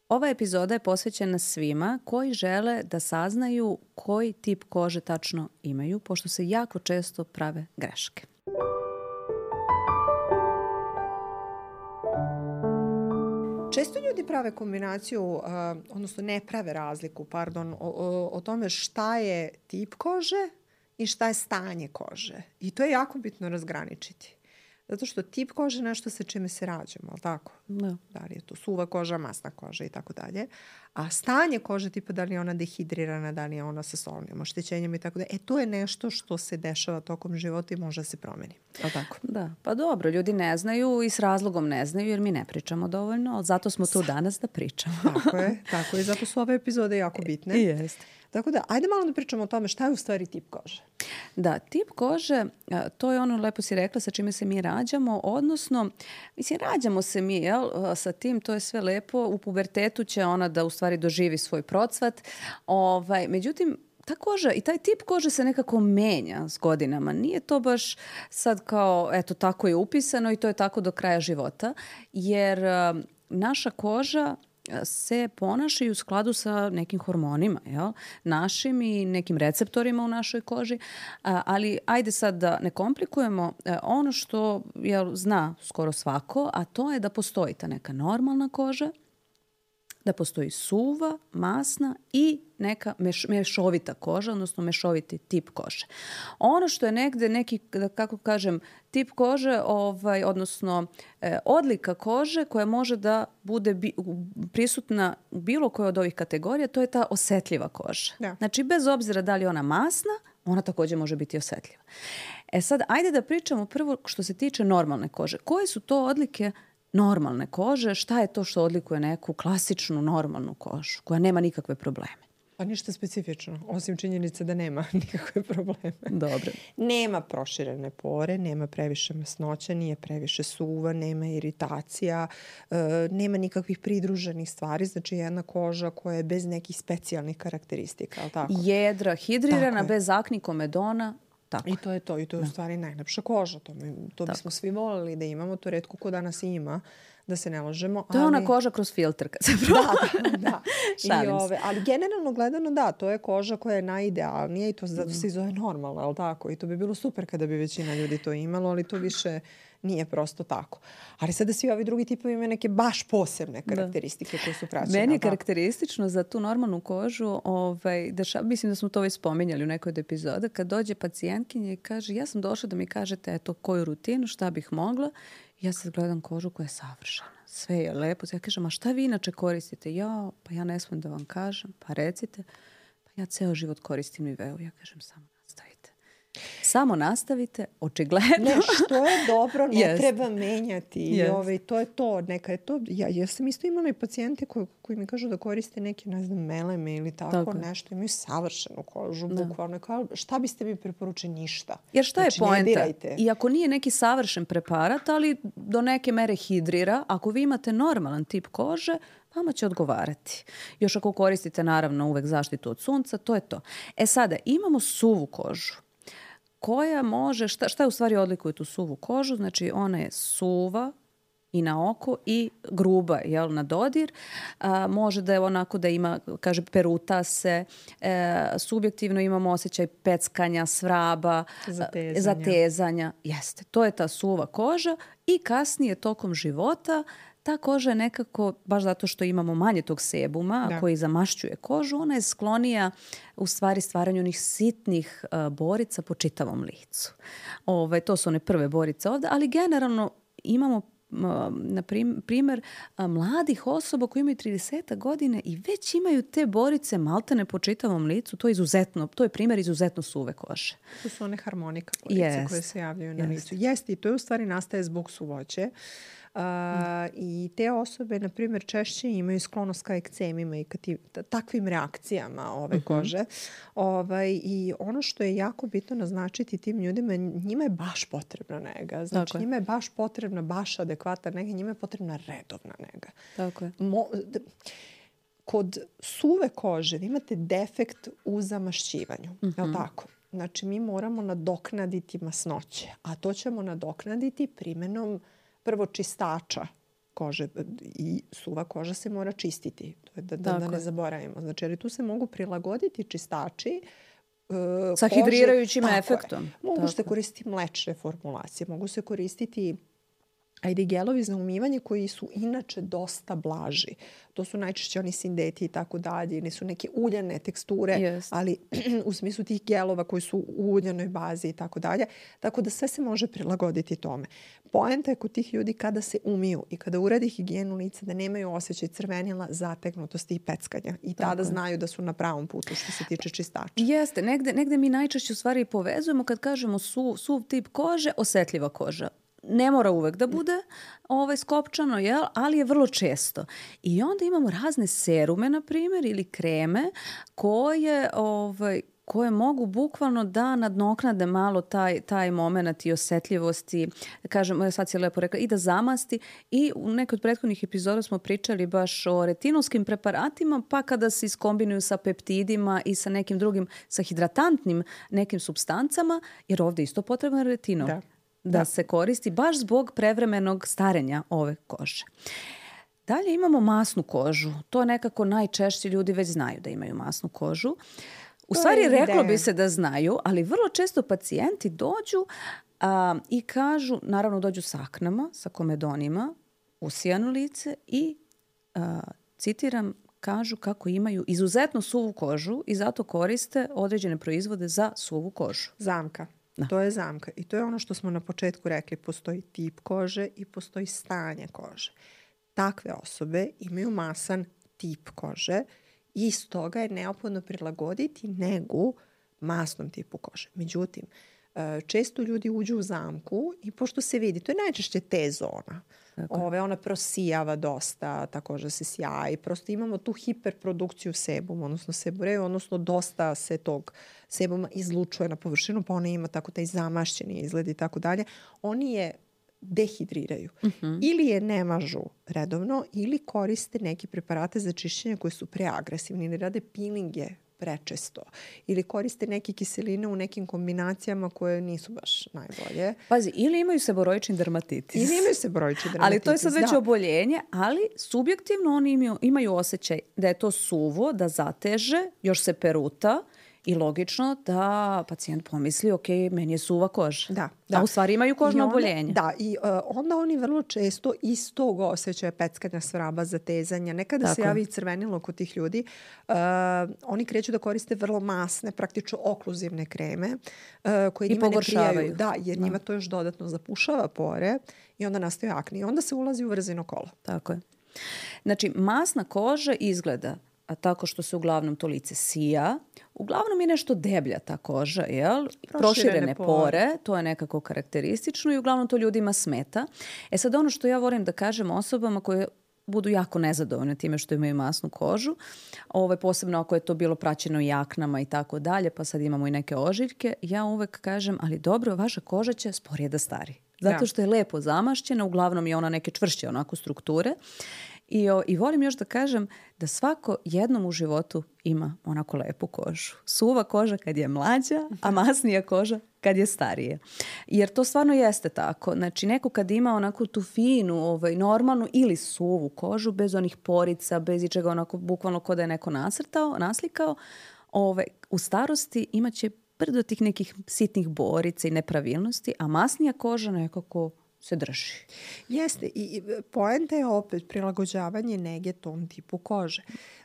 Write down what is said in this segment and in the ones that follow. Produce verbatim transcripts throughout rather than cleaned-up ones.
Ova epizoda je posvećena svima koji žele da saznaju koji tip kože tačno imaju, pošto se jako često prave greške. Često ljudi prave kombinaciju, uh, odnosno ne prave razliku, pardon, o, o, o tome šta je tip kože i šta je stanje kože. I to je jako bitno razgraničiti. Zato što tip kože je nešto sa čime se rađamo, ali tako? Da. Da li je to suva koža, masna koža i tako dalje. A stanje kože, tipa da li je ona dehidrirana, da li je ona sa solnim oštećenjem i tako dalje. E, to je nešto što se dešava tokom života i može da se promeni. Ali tako? Da, pa dobro, ljudi ne znaju i s razlogom ne znaju jer mi ne pričamo dovoljno, ali zato smo tu danas da pričamo. Tako je, tako je. Zato su ove epizode jako bitne. Jeste. Tako da, ajde malo da pričamo o tome šta je u stvari tip kože. Da, tip kože, to je ono, lepo si rekla, sa čime se mi rađamo, odnosno, mislim, rađamo se mi, jel, sa tim, to je sve lepo, u pubertetu će ona da u stvari doživi svoj procvat, ovaj, međutim, ta koža i taj tip kože se nekako menja s godinama. Nije to baš sad kao, eto, tako je upisano i to je tako do kraja života, jer uh, naša koža se ponašaju u skladu sa nekim hormonima, jel? Našim i nekim receptorima u našoj koži, a, ali ajde sad da ne komplikujemo a, ono što jel, zna skoro svako, a to je da postoji ta neka normalna koža, da postoji suva, masna i neka meš, mešovita koža, odnosno mešoviti tip kože. Ono što je negde neki, kako kažem, tip kože, ovaj, odnosno eh, odlika kože koja može da bude bi, prisutna u bilo kojoj od ovih kategorija, to je ta osetljiva koža. Da. Znači, bez obzira da li je ona masna, ona također može biti osetljiva. E sad, ajde da pričamo prvo što se tiče normalne kože. Koje su to odlike normalne kože, šta je to što odlikuje neku klasičnu normalnu kožu koja nema nikakve probleme? Pa ništa specifično, osim činjenice da nema nikakve probleme. Dobro. Nema proširene pore, nema previše masnoća, nije previše suva, nema iritacija, e, nema nikakvih pridruženih stvari, znači jedna koža koja je bez nekih specijalnih karakteristika, ali tako? Jedra, hidrirana, bez akni, komedona. Tako. I to je to. I to je u stvari najlepša koža. To, mi, to bismo svi volili da imamo. To retko ko danas ima, da se ne lažemo. To je ali... ona koža kroz filtr kad se proba. Da, da. I ove, ali generalno gledano da, to je koža koja je najidealnija i to zato se zove normalno, ali tako? I to bi bilo super kada bi većina ljudi to imalo, ali to više nije prosto tako. Ali sada svi ovi drugi tipovi imaju neke baš posebne karakteristike da. Koje su praćene. Meni je karakteristično za tu normalnu kožu, ovaj, deša, mislim da smo to već spominjali u nekoj od epizoda, kad dođe pacijentkinja i kaže ja sam došla da mi kažete eto koju rutinu, šta bih mogla. Ja sad gledam kožu koja je savršena. Sve je lepo. Ja kažem, a šta vi inače koristite? Ja, pa ja ne smijem da vam kažem. Pa recite. Pa ja ceo život koristim Niveu. Ja kažem, samo nastavite. Samo nastavite, očigledno. Ne, što je dobro, ne yes. treba menjati. Yes. I ovaj, to je to. Neka je to. Ja, ja sam isto imala i pacijente koji, koji mi kažu da koriste neke, ne znam, meleme ili tako, tako. nešto. Imaju savršenu kožu, da. Bukvalno. Kao, šta biste mi preporučili? Ništa. Jer šta znači, je poenta? Iako nije neki savršen preparat, ali do neke mere hidrira, ako vi imate normalan tip kože, vama će odgovarati. Još ako koristite, naravno, uvek zaštitu od sunca, to je to. E sada, imamo suvu kožu. Koja može, šta, šta je u stvari odlikuje tu suvu kožu? Znači, ona je suva i na oko i gruba, jel, na dodir. A, može da je onako da ima, kaže, peruta se, e, subjektivno imamo osjećaj peckanja, svraba, zatezanja. zatezanja. Jeste, to je ta suva koža i kasnije tokom života ta koža je nekako, baš zato što imamo manje tog sebuma da. Koji zamašćuje kožu, ona je sklonija u stvari stvaranju onih sitnih uh, borica po čitavom licu. Ove, to su one prve borice ovdje, ali generalno imamo uh, na primjer uh, mladih osoba koji imaju trideset godine i već imaju te borice maltene po čitavom licu. To je izuzetno, to je primjer izuzetno suve kože. To su one harmonika borice yes. koje se javljaju na yes. licu. Jeste, i to je u stvari nastaje zbog suvoće. Uh, mm. I te osobe, na primjer, češće imaju sklonost ka ekcemima i ka ti, t- takvim reakcijama ove mm-hmm. kože. Ovaj, I ono što je jako bitno naznačiti tim ljudima, njima je baš potrebna nega. Znači, Tako njima je baš potrebna, baš adekvatna nega, njima je potrebna redovna nega. Tako je. Mo, d- kod suve kože vi imate defekt u zamašćivanju. Mm-hmm. Je li tako? Znači, mi moramo nadoknaditi masnoće, a to ćemo nadoknaditi primjenom prvo čistača kože i suva koža se mora čistiti. To je da, da, da ne zaboravimo. Znači, jer tu se mogu prilagoditi čistači uh, sa kože, hidrirajućim efektom. Je. Mogu tako se koristiti mlečne formulacije, mogu se koristiti ajde gelovi za umivanje koji su inače dosta blaži. To su najčešće oni sindeti i tako dalje. Nisu neke uljane teksture, yes. ali u smislu tih gelova koji su u uljanoj bazi i tako dalje. Tako da sve se može prilagoditi tome. Poenta je kod tih ljudi kada se umiju i kada uradi higijenu lica da nemaju osjećaj crvenila, zategnutosti i peckanja. I tada tako znaju da su na pravom putu što se tiče čistača. Jeste. Negde, negde mi najčešće u stvari povezujemo kad kažemo su, suv tip kože, osetljiva koža. Ne mora uvek da bude ovaj, skopčano, jel? Ali je vrlo često. I onda imamo razne serume, na primjer, ili kreme koje, ovaj, koje mogu bukvalno da nadoknade malo taj, taj moment i osetljivosti, kažem, sad si lepo rekla, i da zamasti. I u nekoj od prethodnih epizoda smo pričali baš o retinolskim preparatima, pa kada se iskombinuju sa peptidima i sa nekim drugim, sa hidratantnim nekim supstancama, jer ovdje isto potreban retinol. Da. Da, da se koristi baš zbog prevremenog starenja ove kože. Dalje imamo masnu kožu. To nekako najčešće ljudi već znaju da imaju masnu kožu. U to stvari reklo bi se da znaju, ali vrlo često pacijenti dođu a, i kažu, naravno dođu sa aknama, sa komedonima, usijano lice i, a, citiram, kažu kako imaju izuzetno suvu kožu i zato koriste određene proizvode za suvu kožu. Zamka. Da. To je zamka. I to je ono što smo na početku rekli. Postoji tip kože i postoji stanje kože. Takve osobe imaju masan tip kože i stoga je neophodno prilagoditi negu masnom tipu kože. Međutim, često ljudi uđu u zamku i pošto se vidi, to je najčešće T zona. Ove, ona prosijava dosta, ta koža se sjaji. Prosto imamo tu hiperprodukciju sebuma, odnosno seboreu, odnosno dosta se tog sebuma izlučuje na površinu, pa ona ima tako taj zamašćeni izgled i tako dalje. Oni je dehidriraju. Uh-huh. Ili je ne mažu redovno, ili koriste neke preparate za čišćenje koje su preagresivni, ili rade pilinge prečesto. Ili koriste neke kiseline u nekim kombinacijama koje nisu baš najbolje. Pazi, ili imaju seboroični dermatitis. Ili imaju seboroični dermatitis, ali to je sad već da. oboljenje, ali subjektivno oni imaju, imaju osjećaj da je to suvo, da zateže, još se peruta i logično da pacijent pomisli, ok, meni je suva koža. Da, da. A u stvari imaju kožno onda, oboljenje. Da, i uh, onda oni vrlo često iz tog osjećaja peckanja svraba, zatezanja, nekada Tako. se javi crvenilo kod tih ljudi, uh, oni kreću da koriste vrlo masne, praktično okluzivne kreme, uh, koje I njima ne prijaju. Da, jer da. njima to još dodatno zapušava pore i onda nastaje akne. I onda se ulazi u vrzino kolo. Tako je. Znači, masna koža izgleda a tako što se uglavnom to lice sija. Uglavnom je nešto deblja ta koža, jel? Proširene, Proširene pore. pore, to je nekako karakteristično i uglavnom to ljudima smeta. E sad ono što ja volim da kažem osobama koje budu jako nezadovoljne time što imaju masnu kožu, ovaj, posebno ako je to bilo praćeno i aknama i tako dalje, pa sad imamo i neke ožiljke, ja uvek kažem, ali dobro, vaša koža će sporije da stari. Zato što je lepo zamašćena, uglavnom je ona neke čvršće onako strukture. I, o, I volim još da kažem da svako jednom u životu ima onako lepu kožu. Suva koža kad je mlađa, a masnija koža kad je starije. Jer to stvarno jeste tako. Znači neko kad ima onako tu finu, ovaj, normalnu ili suvu kožu, bez onih porica, bez ičega onako bukvalno kod da je neko nacrtao, naslikao, ovaj, u starosti imaće brdo tih nekih sitnih borica i nepravilnosti, a masnija koža nekako se drži. Jeste. I poenta je opet prilagođavanje nege tom tipu kože.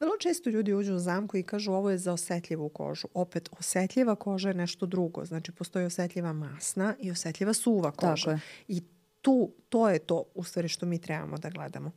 Vrlo često ljudi uđu u zamku i kažu ovo je za osetljivu kožu. Opet, osetljiva koža je nešto drugo. Znači, postoji osetljiva masna i osetljiva suva koža. I tu, to je to u stvari što mi trebamo da gledamo.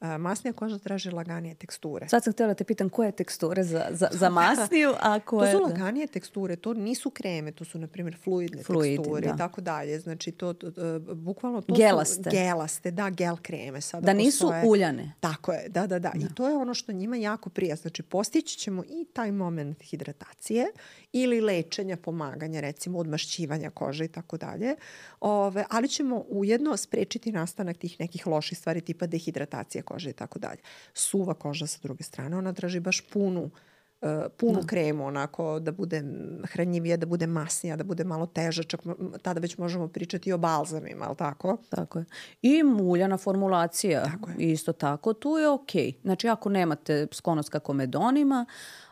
Uh, masnija koža traži laganije teksture. Sad sam htjela te pitam koje je teksture za, za, za masniju, a koje... To su laganije teksture, to nisu kreme, to su na primjer fluidne Fluidi, teksture da. i tako dalje. Znači to, to, to bukvalno to gelaste. su gelaste, da, gel kreme. Sada da nisu postoje, uljane. Tako je, da, da, da, da. I to je ono što njima jako prija. Znači postići ćemo i taj moment hidratacije ili lečenja, pomaganja, recimo odmašćivanja kože i tako dalje. Ove, ali ćemo ujedno sprečiti nastanak tih nekih loših stvari tipa dehidratacije kože i tako dalje. Suva koža sa druge strane, ona traži baš punu uh, punu da. kremu, onako da bude hranjivija, da bude masnija, da bude malo teža, čak tada već možemo pričati i o balzamima, ali tako? Tako je. I muljana formulacija, tako je. Isto tako, tu je okej. Okay. Znači, ako nemate sklonost ka komedonima,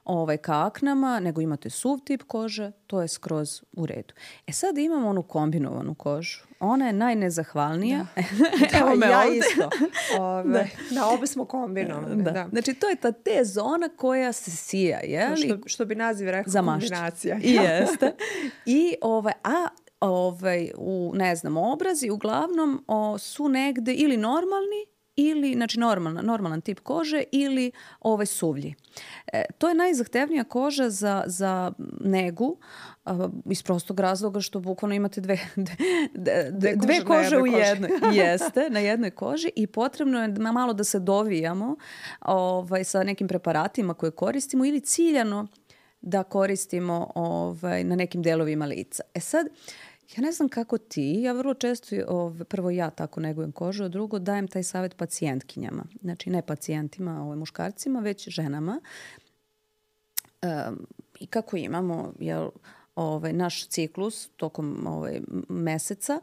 ovaj, ka aknama, nego imate suv tip kože, to je skroz u redu. E sad imamo onu kombinovanu kožu. Ona je najnezahvalnija. Da. Evo me ja ovde. Isto. Ove, da. da, obe smo kombinovane. Da. Da. Znači, to je ta te zona koja se sija. Je li? Što, što bi naziv rekao kombinacija. I jeste. I, ovaj, a ovaj, u, ne znam, obrazi uglavnom o, su negde ili normalni, ili, znači normalan, normalan tip kože ili ovaj suvlji. E, to je najzahtevnija koža za, za negu a, iz prostog razloga što bukvalno imate dve, dve, dve, dve kože u jednoj. Jeste, na jednoj koži i potrebno je malo da se dovijamo ovaj, sa nekim preparatima koje koristimo ili ciljano da koristimo ovaj, na nekim delovima lica. E sad, ja ne znam kako ti, ja vrlo često, ove, prvo ja tako negujem kožu, a drugo dajem taj savjet pacijentkinjama. Znači ne pacijentima, ove, muškarcima, već ženama. Um, I kako imamo jel, ovaj, naš ciklus tokom ovaj, meseca,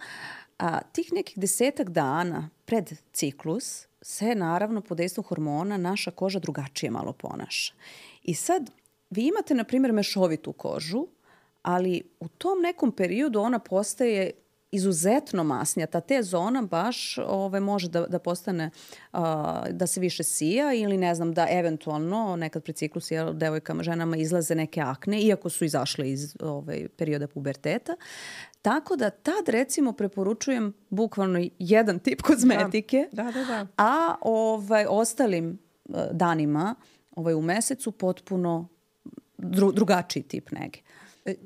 a tih nekih desetak dana pred ciklus se naravno pod dejstvom hormona naša koža drugačije malo ponaša. I sad vi imate, na primjer, mešovitu kožu, ali u tom nekom periodu ona postaje izuzetno masnija. Ta te zona baš ove, može da, da postane, a, da se više sija ili ne znam da eventualno nekad pred ciklusu jel, devojkama, ženama izlaze neke akne, iako su izašle iz ove, perioda puberteta. Tako da tad recimo preporučujem bukvalno jedan tip kozmetike, da. Da, da, da. a ovaj, ostalim danima ovaj, u mesecu potpuno dru, drugačiji tip nege.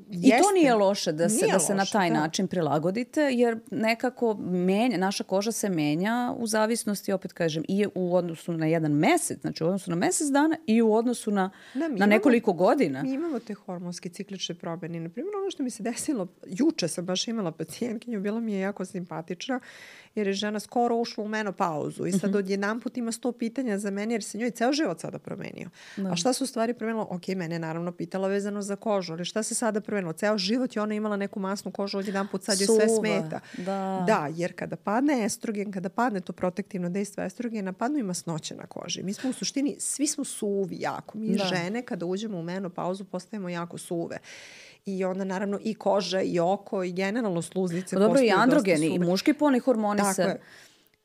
Jeste. I to nije loše da se, da se loše, na taj da. način prilagodite, jer nekako menja, naša koža se menja u zavisnosti, opet kažem, i u odnosu na jedan mesec, znači u odnosu na mesec dana i u odnosu na, da, na imamo, nekoliko godina. Mi imamo te hormonske ciklične promjene. Naprimjer, ono što mi se desilo, juče sam baš imala pacijentkinju, bila mi je jako simpatična, jer je žena skoro ušla u menopauzu i sad odjedan put ima sto pitanja za mene, jer se njoj ceo život sada promenio. Da. A šta su u stvari promenilo? Ok, mene je naravno pitala vezano za kožu, ali šta se sada promenilo? Ceo život je ona imala neku masnu kožu, odjedan put sad joj sve smeta. Da. Da, jer kada padne estrogen, kada padne to protektivno dejstvo estrogena, padnu i masnoće na koži. Mi smo u suštini, svi smo suvi jako. Mi da. žene kada uđemo u menopauzu postajemo jako suve. I onda naravno i koža i oko i generalno sluznice. Pa dobro, i androgeni i muški polni hormoni tako se je.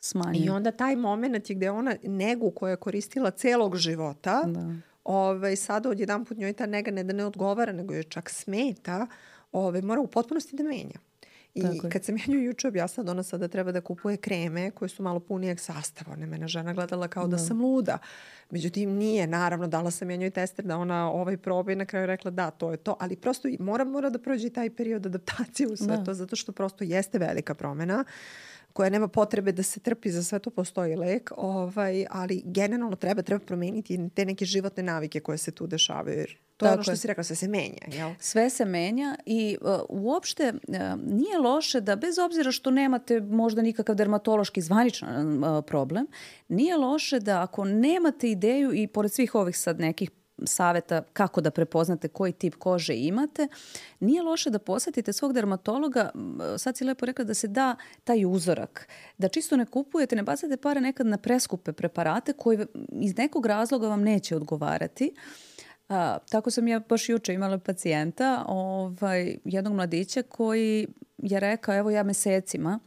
Smanjuju. I onda taj moment je gde ona negu koju je koristila celog života, da. Ove, sada odjedan put njoj ta nega ne da ne odgovara, nego joj čak smeta, ove, mora u potpunosti da menja. I tako kad sam ja nju juče objasnila da ona sada treba da kupuje kreme koje su malo punijeg sastava. Ona je mene žena gledala kao da, da sam luda. Međutim, nije. Naravno, dala sam ja njoj tester da ona ovaj proba i na kraju rekla da, to je to. Ali prosto mora, mora da prođe taj period adaptacije u sve da. to, zato što prosto jeste velika promjena koja nema potrebe da se trpi, za sve to postoji lek, ovaj, ali generalno treba, treba promeniti te neke životne navike koje se tu dešavaju. Jer to je ono što si rekla, sve se menja. Jel? Sve se menja i uh, uopšte uh, nije loše da bez obzira što nemate možda nikakav dermatološki zvaničan uh, problem, nije loše da ako nemate ideju i pored svih ovih sad nekih saveta kako da prepoznate koji tip kože imate, nije loše da posjetite svog dermatologa, sad si lepo rekla da se da taj uzorak, da čisto ne kupujete, ne bacate pare nekad na preskupe preparate koji iz nekog razloga vam neće odgovarati. A, tako sam ja baš juče imala pacijenta, ovaj, jednog mladića koji je rekao, evo ja mesecima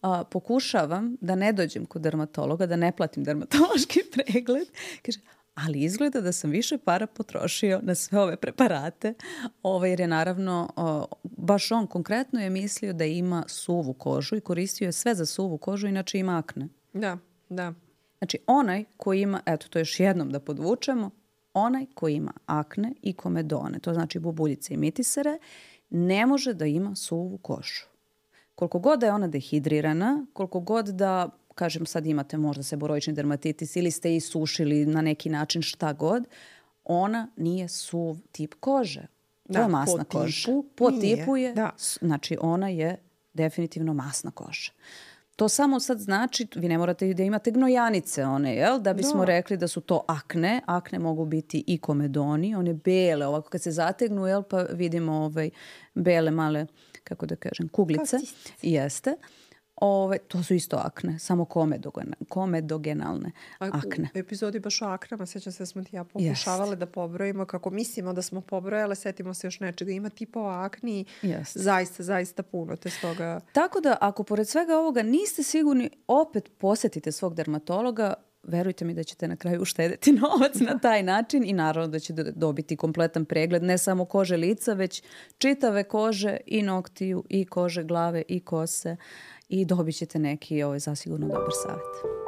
a, pokušavam da ne dođem kod dermatologa, da ne platim dermatološki pregled. Kaže, ali izgleda da sam više para potrošio na sve ove preparate, ovaj, jer je naravno, o, baš on konkretno je mislio da ima suvu kožu i koristio je sve za suvu kožu, inače ima akne. Da, da. Znači onaj koji ima, eto to još jednom da podvučemo, onaj koji ima akne i komedone, to znači bubuljice i mitisere, ne može da ima suvu kožu. Koliko god da je ona dehidrirana, koliko god da, kažem sad imate možda seboroični dermatitis ili ste isušili na neki način šta god, ona nije suv tip kože. To da, je masna po koža. Tipu po nije. tipu je, da. Znači ona je definitivno masna koža. To samo sad znači, vi ne morate da imate gnojanice one, jel? Da bismo da. rekli da su to akne. Akne mogu biti i komedoni, one bele, ovako kad se zategnu, jel? Pa vidimo ovaj, bele male, kako da kažem, kuglice. Jeste. Ove, to su isto akne, samo komedogenalne akne. U epizodi baš o aknama, sjećam se da smo ti ja pokušavali yes. da pobrojimo kako mislimo da smo pobrojale, setimo se još nečega. Ima tipova akni, yes. zaista, zaista puno. Te stoga... Tako da, ako pored svega ovoga niste sigurni, opet posjetite svog dermatologa, verujte mi da ćete na kraju uštedeti novac na taj način i naravno da ćete dobiti kompletan pregled, ne samo kože lica, već čitave kože i noktiju, i kože glave, i kose i dobit ćete neki ovaj, zasigurno dobar savjet.